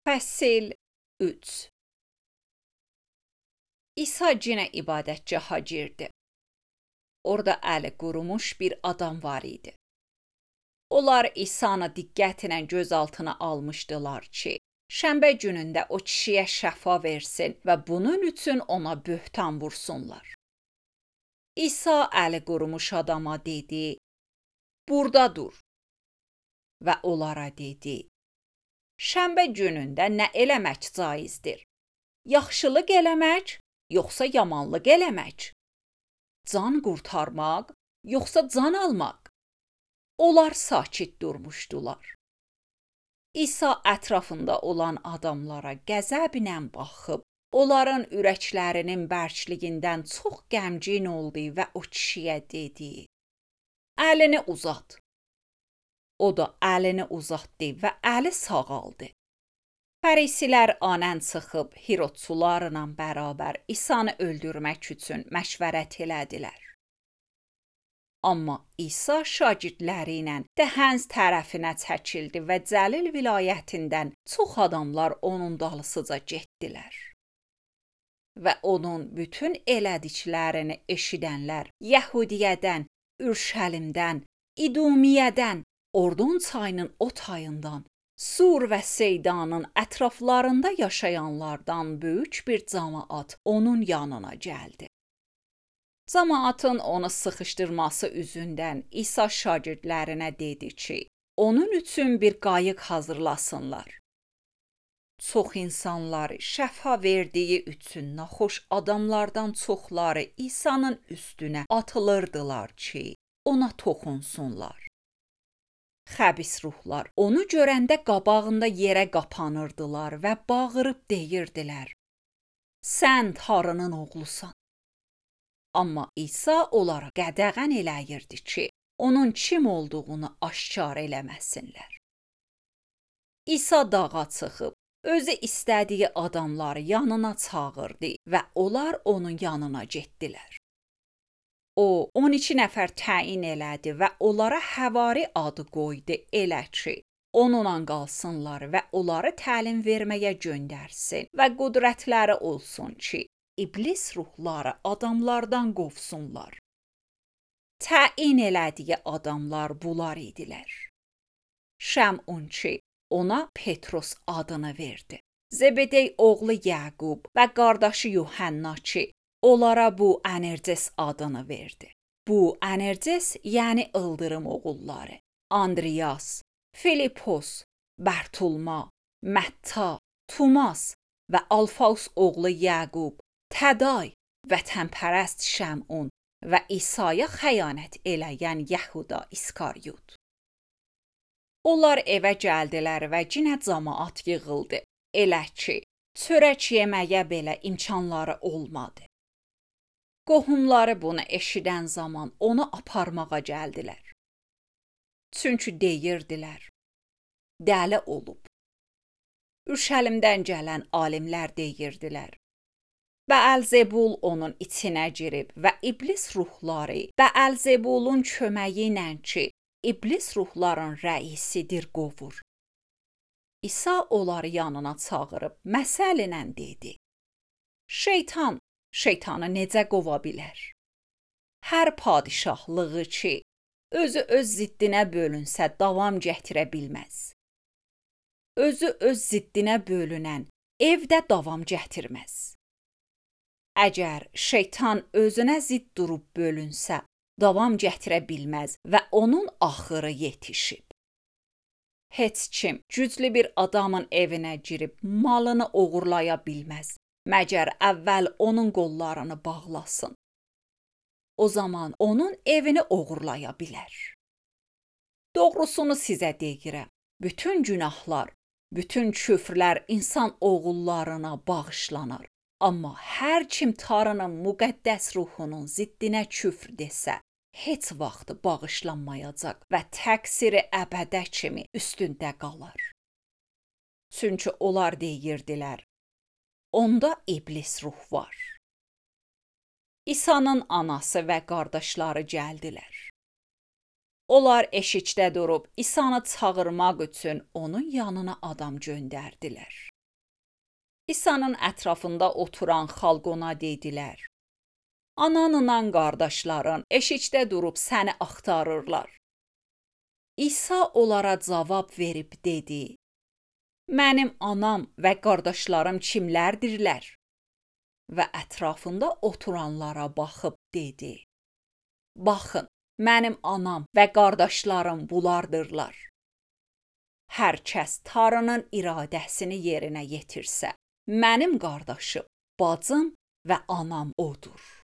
Fəsil 3 İsa yenə ibadətgaha girdi. Orada əli qurumuş bir adam var idi. Onlar İsa'nı diqqətlə gözaltına almışdılar ki, şənbə günündə o kişiyə şəfa versin və bunun üçün ona böhtan vursunlar. İsa əli qurumuş adama dedi, "Burada dur." Və onlara dedi, "Şənbə günündə nə eləmək caizdir? Yaxşılıq eləmək, yoxsa yamanlıq eləmək? Can qurtarmaq, yoxsa can almaq?" Onlar sakit durmuşdular. İsa ətrafında olan adamlara qəzəblə baxıb, onların ürəklərinin bərkliyindən çox qəmgin oldu və o kişiyə dedi, "Əlini uzat." O da əlini uzatdı və əli sağaldı. Fərisilər anən çıxıb Hirodçularla bərabər İsanı öldürmək üçün məşvərət elədilər. Amma İsa şagirdləri ilə Dəhənz tərəfinə çəkildi və Cəlil vilayətindən çox adamlar onun dalısıca getdilər. Və onun bütün elədiklərini eşidənlər Yəhudiyədən, Ürşəlimdən, İdumiyyədən, Ordon çayının o tayından, Sur və Seydanın ətraflarında yaşayanlardan böyük bir camaat onun yanına gəldi. Camaatın onu sıxışdırması üzündən İsa şagirdlərinə dedi ki, onun üçün bir qayıq hazırlasınlar. Çox insanları şəfa verdiyi üçün naxoş adamlardan çoxları İsa'nın üstünə atılırdılar ki, ona toxunsunlar. Xəbis ruhlar onu görəndə qabağında yerə qapanırdılar və bağırıb deyirdilər, "Sən Tanrının oğlusan." Amma İsa onlara qədəğən eləyirdi ki, onun kim olduğunu aşkar eləməsinlər. İsa dağa çıxıb, özü istədiyi adamları yanına çağırdı və onlar onun yanına getdilər. O, 12 nəfər təyin elədi və onlara Həvari adı qoydu elə ki, onunla qalsınlar və onları təlim verməyə göndərsin və qüdrətləri olsun ki, İblis ruhları adamlardan qovsunlar. Təyin elədiyi adamlar bunlar idilər. Şəmun ki, ona Petros adını verdi. Zebedey oğlu Yaqub və qardaşı Yuhanna ki, onlara bu Anerces adını verdi. Bu Anerces yəni ıldırım oğulları. Andriyas, Filipos, Bərtulma, Mətta, Tumas və Alfaus oğlu Yaqub, Təday, vətənpərəst Şəmun və İsa'ya xəyanət eləyən Yəhuda İskaryot. Onlar evə gəldilər və yenə camaat yığıldı. Elə ki, çörək yeməyə belə imkanları olmadı. Qohumları bunu eşidən zaman onu aparmağa gəldilər. Çünki deyirdilər, dəli olub. Ürşəlimdən gələn alimlər deyirdilər, Bəəlzebul onun içinə girib və iblis ruhları Bəəlzebulun köməyi ilə ki, iblis ruhların rəisidir qovur. İsa onları yanına çağırıb məsəllə dedi, Şeytan, şeytanı necə qova bilər? Hər padişahlığı ki, özü öz ziddinə bölünsə davam gətirə bilməz. Özü öz ziddinə bölünən evdə davam gətirməz. Əgər şeytan özünə zidd durub bölünsə, davam gətirə bilməz və onun axırı yetişib. Heç kim güclü bir adamın evinə girib malını oğurlaya bilməz, məgər əvvəl onun qollarını bağlasın. O zaman onun evini oğurlaya bilər. Doğrusunu sizə deyirəm, bütün günahlar, bütün küfrlər insan oğullarına bağışlanar. Amma hər kim Tanrının müqəddəs ruhunun ziddinə küfr desə, heç vaxt bağışlanmayacaq və təqsiri əbədə kimi üstündə qalar. Çünki onlar deyirdilər, onda iblis ruh var. İsa'nın anası və qardaşları gəldilər. Onlar eşikdə durub İsa'nı çağırmaq üçün onun yanına adam göndərdilər. İsa'nın ətrafında oturan xalq ona dedilər: Ananla qardaşların eşikdə durub səni axtarırlar. İsa onlara cavab verib dedi: Mənim anam və qardaşlarım kimlərdirlər? Və ətrafında oturanlara baxıb dedi: Baxın, mənim anam və qardaşlarım bulardırlar. Hər kəs Tanrının iradəsini yerinə yetirsə, mənim qardaşım, bacım və anam odur.